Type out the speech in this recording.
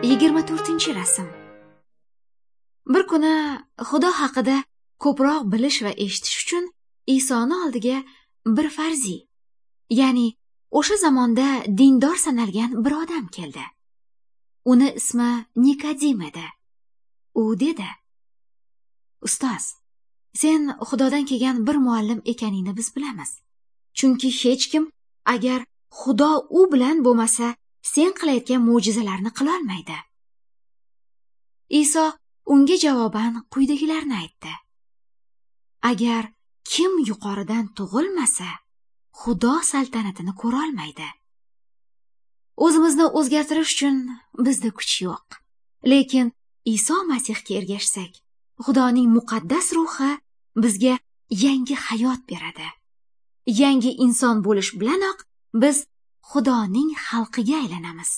24-rasm. Bir kuni Xudo haqida ko'proq bilish va eshitish uchun Isoni oldiga bir farziy, ya'ni o'sha zamonda dindor sanalgan bir odam keldi. Uni ismi Nikodim edi. U dedi: "Ustoz, sen Xudodan kelgan bir muallim ekaningni biz bilamiz. Chunki hech kim agar Xudo u bilan bo'lmasa, sen qilayotgan mo'jizalarni qilolmaydi." Iso unga javoban quyidagilarni aytdi: "Agar kim yuqoridan tug'ilmasa, Xudo saltanatini ko'rolmaydi." O'zimizni o'zgartirish uchun bizda kuch yo'q. Lekin Iso Masihga ergashsak, Xudoning muqaddas ruhi bizga yangi hayot beradi. Yangi inson bo'lish bilanoq biz Xudoning xalqiga aylanamiz.